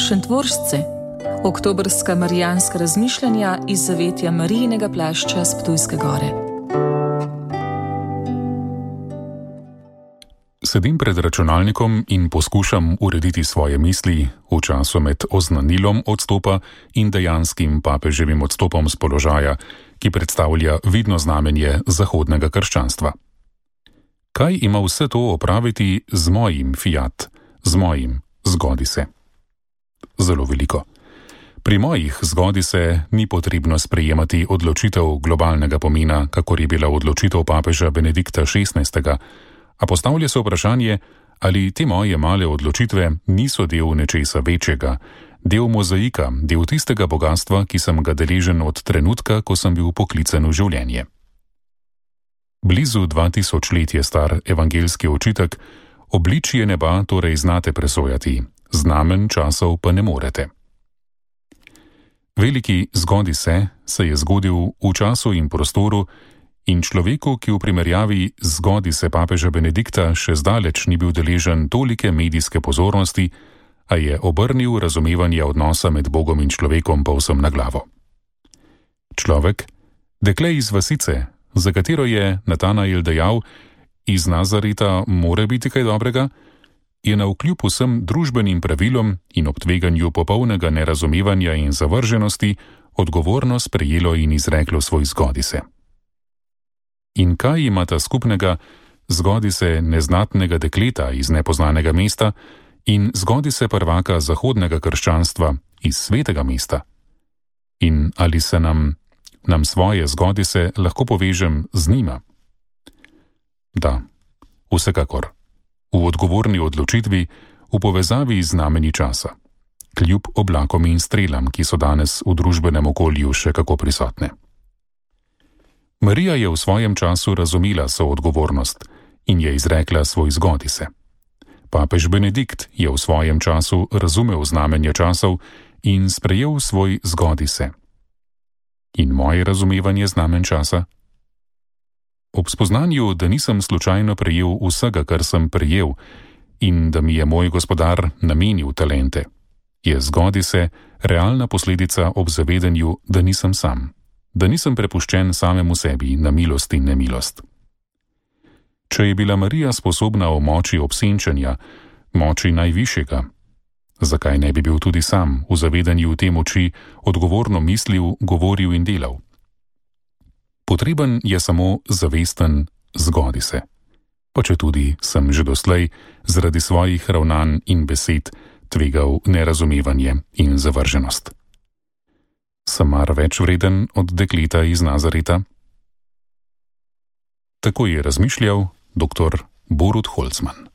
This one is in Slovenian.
Šentvoržce, oktobrska marijanska razmišljanja iz zavetja Marijinega plašča s Ptujske gore. Sedim pred računalnikom in poskušam urediti svoje misli v času med oznanilom odstopa in dejanskim papeževim odstopom z položaja, ki predstavlja vidno znamenje zahodnega krščanstva. Kaj ima vse to opraviti z mojim fiat, z mojim zgodi se? Zelo veliko. Pri mojih zgodi se ni potrebno sprejemati odločitev globalnega pomena, kakor je bila odločitev papeža Benedikta XVI., a postavlja se vprašanje, ali te moje male odločitve niso del nečesa večjega, del mozaika, del tistega bogatstva, ki sem ga deležen od trenutka, ko sem bil poklican v življenje. Blizu 2000 let je star evangeljski očitek, obličje neba torej znate presojati, znamen časov pa ne morete. Veliki zgodi se je zgodil v času in prostoru, in človeku, ki v primerjavi z zgodi se papeža Benedikta še zdaleč ni bil deležen tolike medijske pozornosti, a je obrnil razumevanje odnosa med Bogom in človekom povsem na glavo. Človek, dekle iz vasice, za katero je Natanael dejal, iz Nazareta more biti kaj dobrega, je navkljub vsem družbenim pravilom in ob tveganju popolnega nerazumevanja in zavrženosti odgovorno sprejelo in izreklo svoj zgodi se. In kaj imata skupnega zgodi se neznatnega dekleta iz nepoznanega mesta in zgodi se prvaka zahodnega krščanstva iz svetega mesta? In ali se nam svoje zgodi se lahko povežem z njima? Da, vsekakor. V odgovorni odločitvi, v povezavi z znameni časa, kljub oblakom in strelam, ki so danes v družbenem okolju še kako prisotne. Marija je v svojem času razumela soodgovornost in je izrekla svoj zgodi se. Papež Benedikt je v svojem času razumel znamenje časov in sprejel svoj zgodi se. In moje razumevanje znamen časa? Ob spoznanju, da nisem slučajno prejel vsega, kar sem prejel, in da mi je moj gospodar namenil talente, je zgodi se realna posledica ob zavedanju, da nisem sam, da nisem prepuščen samemu sebi na milost in nemilost. Če je bila Marija sposobna o moči obsenčenja, moči najvišjega, zakaj ne bi bil tudi sam v zavedanju te moči odgovorno mislil, govoril in delal? Potreben je samo zavesten zgodi se, pa četudi sem že doslej zaradi svojih ravnanj in besed tvegal nerazumevanje in zavrženost. Sem mar več vreden od dekleta iz Nazareta? Tako je razmišljal dr. Borut Holzman.